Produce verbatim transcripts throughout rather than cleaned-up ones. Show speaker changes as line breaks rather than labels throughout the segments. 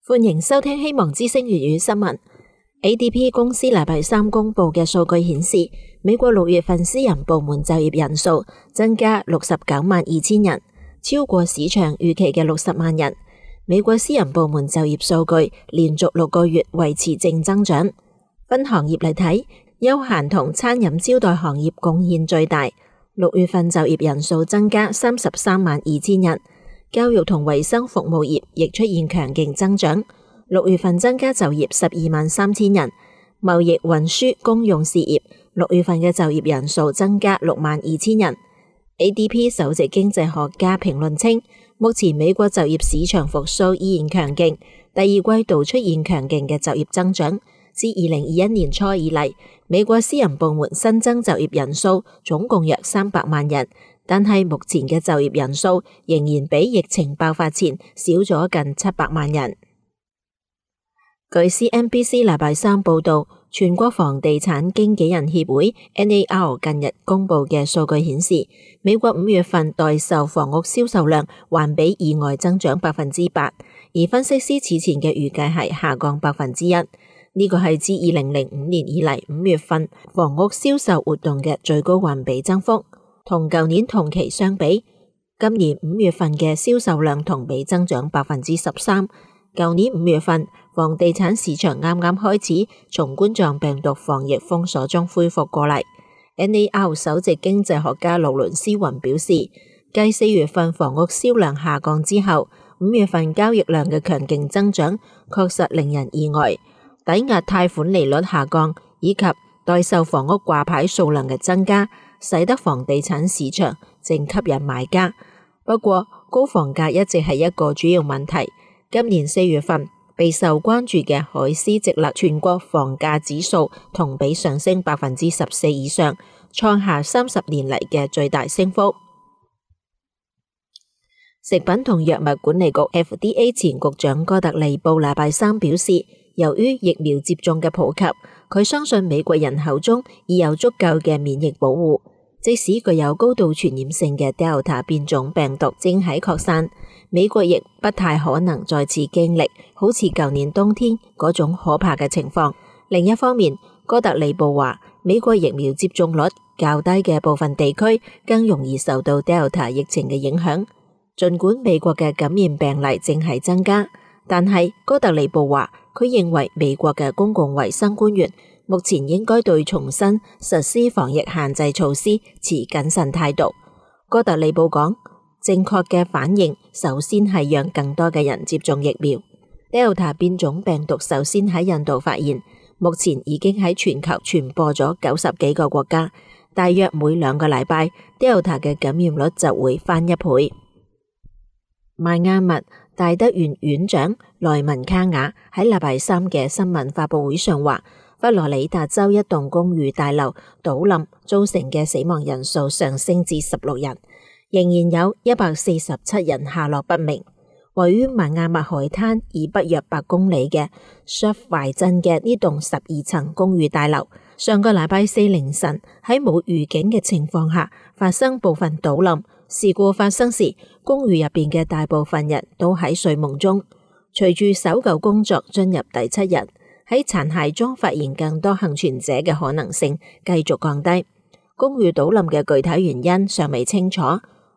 歡迎收聽希望之聲粵語新聞。A D P 公司禮拜三公布嘅數據顯示，美國六月份私人部門就業人數增加六十九萬二千人，超過市場預期嘅六十萬人。美國私人部門就業數據連續六個月維持正增長。分行業嚟睇，休閒同餐飲招待行業貢獻最大，六月份就業人數增加三十三萬二千人。教育同衛生服務業亦出現強勁增長，六月份增加就業十二萬三千人。貿易運輸公用事業六月份嘅就業人數增加六萬二千人。A D P 首席經濟學家評論稱，目前美國就業市場復甦依然強勁，第二季度出現強勁嘅就業增長。自二零二一年初以嚟，美國私人部門新增就業人數總共約三百萬人。但係目前嘅就業人數仍然比疫情爆發前少咗近七百萬人。據 C N B C 禮拜三報道，全國房地產經紀人協會 N A R 近日公布嘅數據顯示，美國五月份待售房屋銷售量環比意外增長百分之八，而分析師此前嘅預計係下降百分之一。呢個係自二零零五年以嚟五月份房屋銷售活動嘅最高環比增幅。同舊年同期相比，今年五月份嘅銷售量同比增長百分之十三。舊年五月份，房地產市場啱啱開始從冠狀病毒防疫封鎖中恢復過嚟。N A R 首席經濟學家勞倫斯雲表示，繼四月份房屋銷量下降之後，五月份交易量嘅強勁增長確實令人意外。抵押貸款利率下降以及待售房屋掛牌數量嘅增加，使得房地產市場正吸引買家。不過，高房價一直係一個主要問題。今年四月份備受關注嘅海思直勒全國房價指數同比上升百分之十四以上，創下三十年嚟嘅最大升幅。食品同藥物管理局 F D A 前局長哥特利布禮拜三表示，由於疫苗接種嘅普及，佢相信美國人口中已有足夠嘅免疫保護，即使具有高度傳染性嘅 Delta 變種病毒正喺擴散，美國亦不太可能再次經歷好似舊年冬天嗰種可怕嘅情況。另一方面，哥特利布話，美國疫苗接種率較低嘅部分地區更容易受到 Delta 疫情嘅影響。儘管美國嘅感染病例正係增加，但係哥特利布話，佢認為美國嘅公共衛生官員目前應該對重新實施防疫限制措施持謹慎態度。哥特利布講，正確嘅反應首先係讓更多嘅人接種疫苗。Delta 變種病毒首先喺印度發現，目前已經喺全球傳播咗九十幾個國家，大約每兩個禮拜 Delta 嘅感染率就會翻一倍。邁阿密大德院院長萊文卡雅喺禮拜三嘅新聞發佈會上話，佛羅里達州一棟公寓大樓倒冧造成嘅死亡人數上升至十六人，仍然有一百四十七人下落不明。位於邁阿密海灘以北約八公里嘅 Surfside 鎮嘅呢棟十二層公寓大樓，上個禮拜四凌晨喺冇預警嘅情況下發生部分倒冧。事故發生時，公寓入邊嘅大部分人都喺睡夢中。隨住搜救工作進入第七日，喺殘骸中發現更多幸存者嘅可能性繼續降低。公寓倒冧嘅具體原因尚未清楚。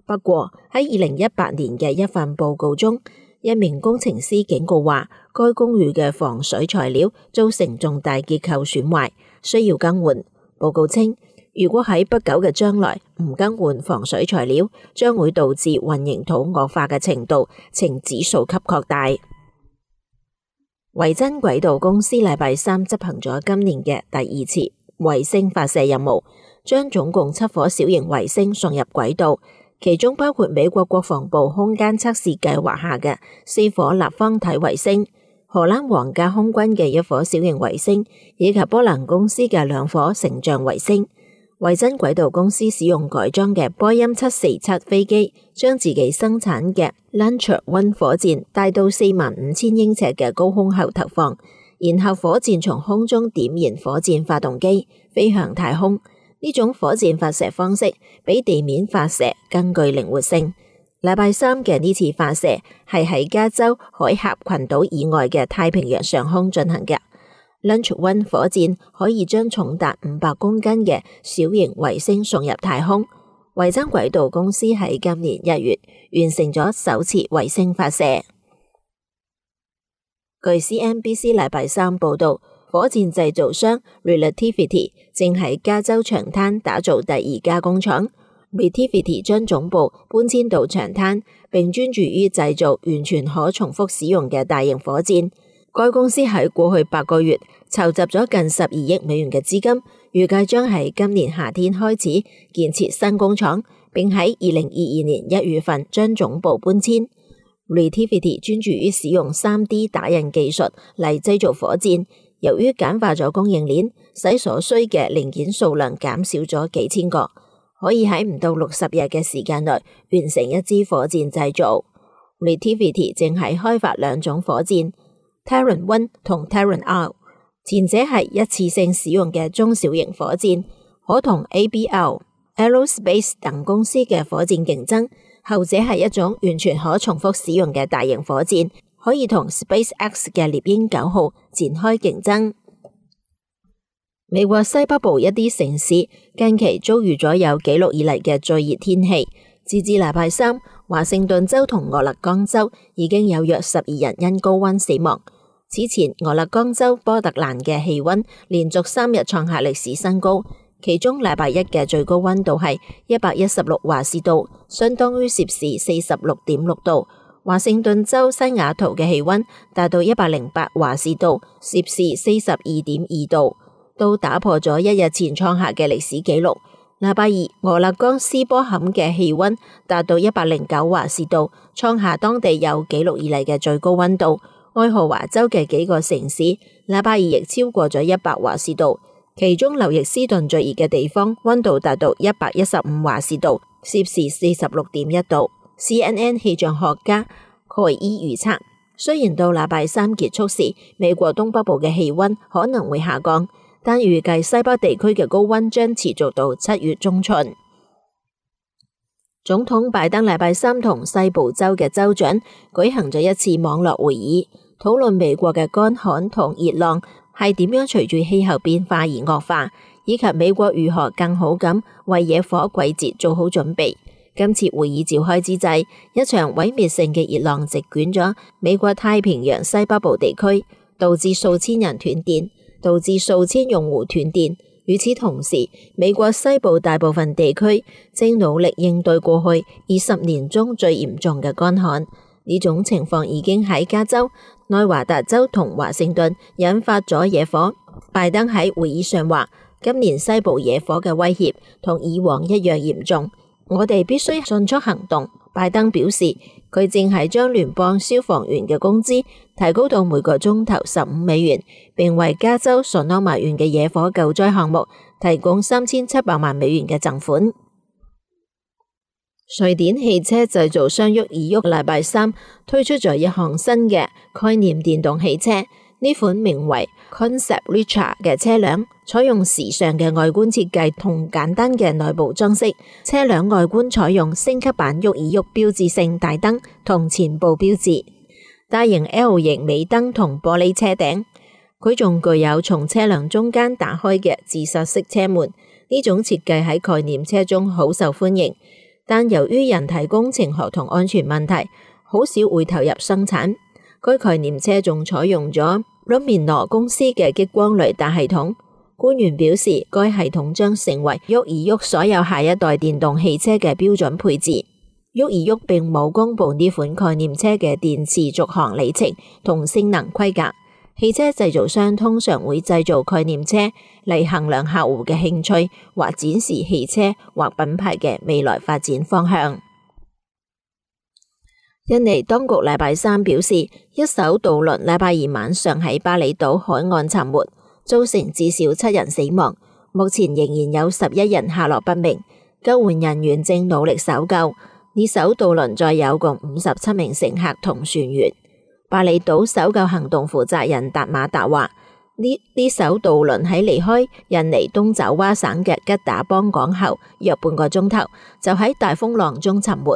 不過喺二零一八年嘅一份報告中，一名工程師警告話，該公寓嘅防水材料造成重大結構損壞，需要更換。報告稱，如果喺不久嘅將來唔更換防水材料，將會導致混凝土惡化嘅程度呈指數級擴大。維珍軌道公司禮拜三執行咗今年嘅第二次衛星發射任務，將總共七顆小型衛星送入軌道，其中包括美國國防部空間測試計劃下嘅四顆立方體衛星、荷蘭皇家空軍嘅一顆小型衛星，以及波蘭公司嘅兩顆成像衛星。維珍軌道公司使用改裝嘅波音七四七飛機，將自己生產嘅 Launcher One 火箭帶到四萬五千英尺嘅高空後投放，然後火箭從空中點燃火箭發動機，飛向太空。呢種火箭發射方式比地面發射更具靈活性。禮拜三嘅呢次發射係喺加州海峽群島以外嘅太平洋上空進行嘅。Launch One 火箭可以將重達五百公斤嘅小型衛星送入太空。維珍軌道公司喺今年一月完成咗首次衛星發射。據 C N B C 禮拜三報道，火箭製造商 Relativity 正喺加州長灘打造第二家工廠。Relativity 將總部搬遷到長灘，並專注於製造完全可重複使用嘅大型火箭。該公司喺過去八個月籌集咗近十二億美元嘅資金，預計將喺今年夏天開始建設新工廠，並喺二零二二年一月份將總部搬遷。Relativity 專注於使用 三 D 打印技術嚟製造火箭，由於簡化咗供應鏈，使所需嘅零件數量減少咗幾千個，可以喺唔到六十日嘅時間內完成一支火箭製造。Relativity 正喺開發兩種火箭 Terran One 同 Terran R， 前者係一次性使用嘅中小型火箭，可同 A B L、Aerospace 等公司嘅火箭競爭。後者係一種完全可重複使用嘅大型火箭，可以同 SpaceX 嘅獵鷹九號展開競爭。美國西北部一啲城市近期遭遇咗有紀錄以嚟嘅最熱天氣，截至禮拜三，華盛頓州同俄勒岡州已經有約十二人因高溫死亡。此前，俄勒岡州波特蘭嘅氣溫連續三日創下歷史新高。其中禮拜一嘅最高溫度係一百一十六華氏度，相當於攝氏四十六點六度。華盛頓州西雅圖嘅氣溫達到一百零八華氏度，攝氏四十二點二度，都打破咗一日前創下嘅歷史紀錄。禮拜二，俄勒岡斯波坎嘅氣溫達到一百零九華氏度，創下當地有紀錄以嚟嘅最高溫度。愛荷華州嘅幾個城市禮拜二亦超過咗一百華氏度。其中劉易斯頓最熱嘅地方溫度達到一百一十五華氏度，攝氏四十六點一度。C N N 氣象學家蓋伊預測，雖然到禮拜三結束時，美國東北部嘅氣溫可能會下降，但預計西北地區嘅高溫將持續到七月中旬。總統拜登禮拜三同西部州嘅州長舉行咗一次網絡會議，討論美國嘅乾旱同熱浪係點樣隨住氣候變化而惡化，以及美國如何更好咁為野火季節做好準備。今次會議召開之際，一場毀滅性嘅熱浪席捲咗美國太平洋西北部地區，導致數千人斷電，導致數千用戶斷電。與此同時，美國西部大部分地區正努力應對過去二十年中最嚴重嘅乾旱。呢種情況已經喺加州、內華達州同華盛頓引發咗野火。拜登喺會議上話，今年西部野火嘅威脅同以往一樣嚴重，我哋必須迅速行動。拜登表示，佢正係將聯邦消防員嘅工資提高到每個鐘頭十五美元，並為加州索諾瑪縣嘅野火救災項目提供三千七百萬美元嘅贈款。瑞典汽車製造商沃爾沃禮拜三推出咗一項新嘅概念電動汽車，呢款名為 Concept Richa 嘅車輛採用時尚嘅外觀設計同簡單嘅內部裝飾。車輛外觀採用升級版沃爾沃標誌性大燈同前部標誌，大型 L 型尾燈同玻璃車頂。佢仲具有從車輛中間打開嘅自殺式車門，呢種設計喺概念車中好受歡迎。但由於人體工程學同安全問題，好少會投入生產。該概念車仲採用咗 Luminor 公司嘅激光雷達系統。官員表示，該系統將成為沃爾沃所有下一代電動汽車嘅標準配置。沃爾沃並冇公布呢款概念車嘅電池續航里程同性能規格。汽車製造商通常會製造概念車嚟衡量客戶嘅興趣或展示汽車或品牌嘅未來發展方向。印尼當局禮拜三表示，一艘渡輪禮拜二晚上喺巴厘島海岸沉沒，造成至少七人死亡，目前仍然有十一人下落不明，救援人員正努力搜救。呢艘渡輪載有共五十七名乘客同船員。巴厘島搜救行動負責人達馬達話：呢呢艘渡輪喺離開印尼東爪哇省嘅吉打邦港後約半個鐘頭，就喺大風浪中沉沒。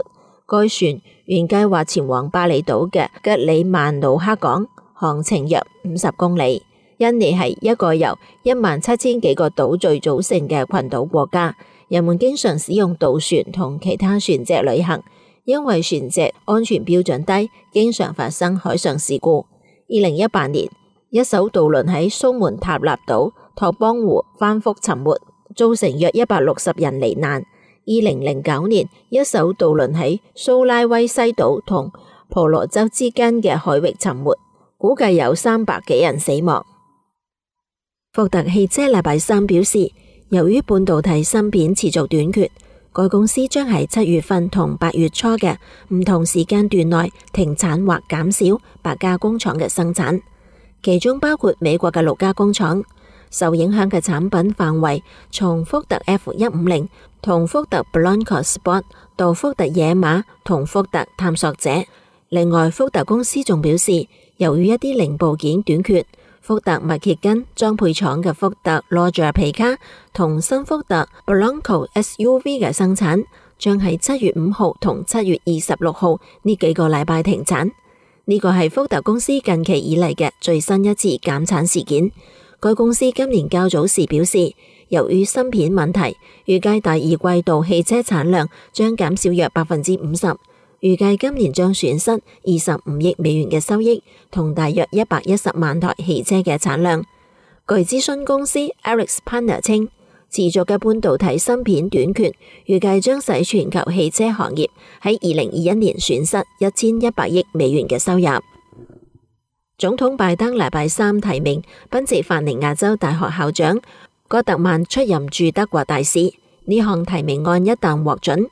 該船原計劃前往巴厘島嘅吉里曼努克港，航程約五十公里。印尼係一個由一萬七千幾個島嶼組成嘅群島國家，人們經常使用渡船同其他船隻旅行，因為船隻安全標準低，經常發生海上事故。二零一八年，一艘渡輪喺蘇門答臘島托邦湖翻覆沉沒，造成約一百六十人罹難。二零零九年，一艘渡輪喺蘇拉威西島同婆羅洲之間嘅海域沉沒，估計有三百幾人死亡。福特汽車禮拜三表示，由於半導體芯片持續短缺，該公司將喺七月份同八月初嘅唔同時間段內停產或減少八家工廠嘅生產，其中包括美國嘅六家工廠。受影響嘅產品範圍從福特 F 一五零同福特 Bronco Sport 到福特野馬同福特探索者。另外，福特公司仲表示，由於一啲零部件短缺，福特密歇根裝配廠嘅福特羅傑皮卡同新福特 Bronco S U V 嘅生產將喺七月五號同七月二十六號呢幾個禮拜停產。呢個係福特公司近期以嚟嘅最新一次減產事件。該公司今年較早時表示，由於芯片問題，預計第二季度汽車產量將減少約百分之五十，預計今年將損失二十五億美元嘅收益，同大約一百一十萬台汽車嘅產量。據諮詢公司 AlixPartners稱，持續嘅半導體芯片短缺，預計將使全球汽車行業喺二零二一年損失一千一百億美元嘅收入。總統拜登禮拜三提名賓夕法尼亞州大學校長戈特曼出任駐德國大使。呢項提名案一旦獲准，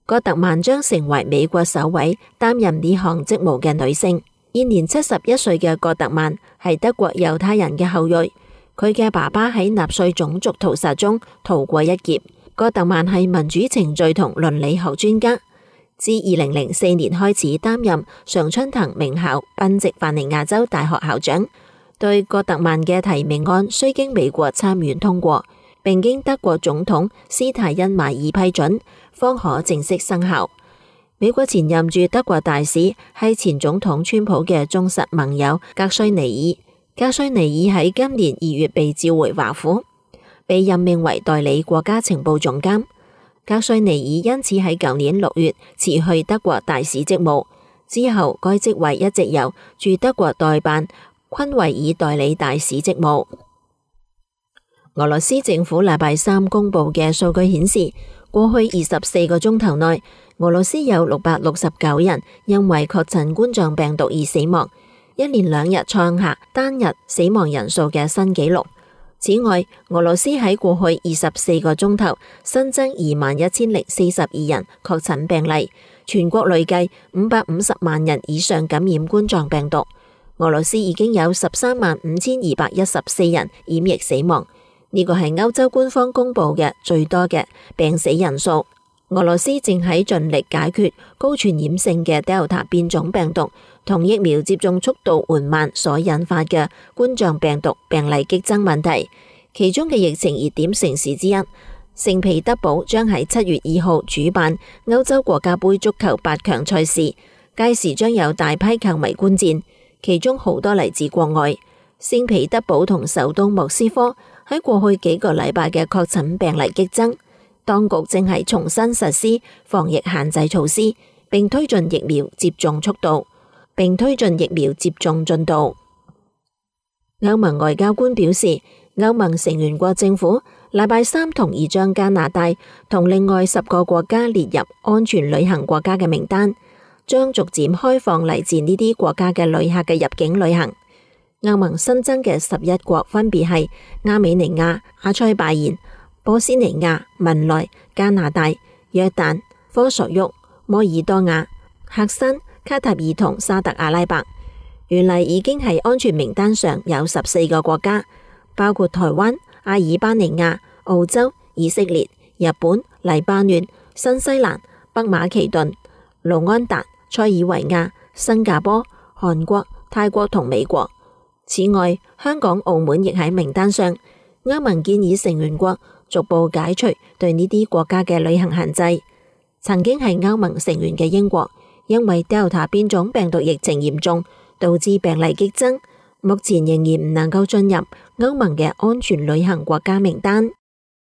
戈特曼將成為美國首位擔任呢項職務嘅女性。現年七十一歲嘅戈特曼係德國猶太人嘅後裔，佢嘅爸爸喺納粹種族屠殺中逃過一劫。戈特曼係民主程序同倫理學專家。自二零零四年開始擔任常春藤名校賓夕法尼亞州大學校長。對戈特曼嘅提名案需經美國參院通過，並經德國總統施泰因邁爾批准，方可正式生效。美國前任駐德國大使係前總統川普嘅忠實盟友格瑞尼爾。格瑞尼爾喺今年二月被召回華府，被任命為代理國家情報總監。格瑞尼爾因此喺舊年六月辭去德國大使職務，之後該職位一直由駐德國代辦昆維爾代理大使職務。俄羅斯政府禮拜三公布嘅數據顯示，過去二十四個鐘頭內，俄羅斯有六百六十九人因為確診冠狀病毒而死亡，一連兩日創下單日死亡人數嘅新紀錄。此外，俄羅斯喺過去二十四個鐘頭新增二萬一千零四十二人確診病例，全國累計五百五十萬人以上感染冠狀病毒。俄羅斯已經有十三萬五千二百一十四人染疫死亡，呢個係歐洲官方公布嘅最多嘅病死人數。俄羅斯正喺盡力解決高傳染性嘅 Delta 變種病毒同疫苗接種速度緩慢所引發嘅冠狀病毒病例激增問題。其中嘅疫情熱點城市之一聖彼得堡將喺七月二號主辦歐洲國家盃足球八強賽事，屆時將有大批球迷觀戰，其中好多嚟自國外。聖彼得堡同首都莫斯科喺過去幾個禮拜嘅確診病例激增，當局正係重新實施防疫限制措施，並推進疫苗接種速度，並推進疫苗接種進度。歐盟外交官表示，歐盟成員國政府禮拜三同意將加拿大同另外十個國家列入安全旅行國家嘅名單，將逐漸開放嚟自呢啲國家嘅旅客嘅入境旅行。歐盟新增嘅十一國分別係亞美尼亞、阿塞拜然、波斯尼亞、文萊、加拿大、約旦、科索沃、摩爾多瓦、黑山、卡塔爾同沙特阿拉伯。原嚟已經喺安全名單上有十四個國家，包括台灣、阿爾巴尼亞、澳洲、以色列、日本、黎巴嫩、新西蘭、北馬其頓、盧安達、塞爾維亞、新加坡、韓國、泰國同美國。此外，香港、澳門亦喺名單上。歐盟建議成員國逐步解除對呢啲國家嘅旅行限制。曾經係歐盟成員嘅英國，因為 Delta 變種病毒疫情嚴重，導致病例激增，目前仍然唔能夠進入歐盟嘅安全旅行國家名單。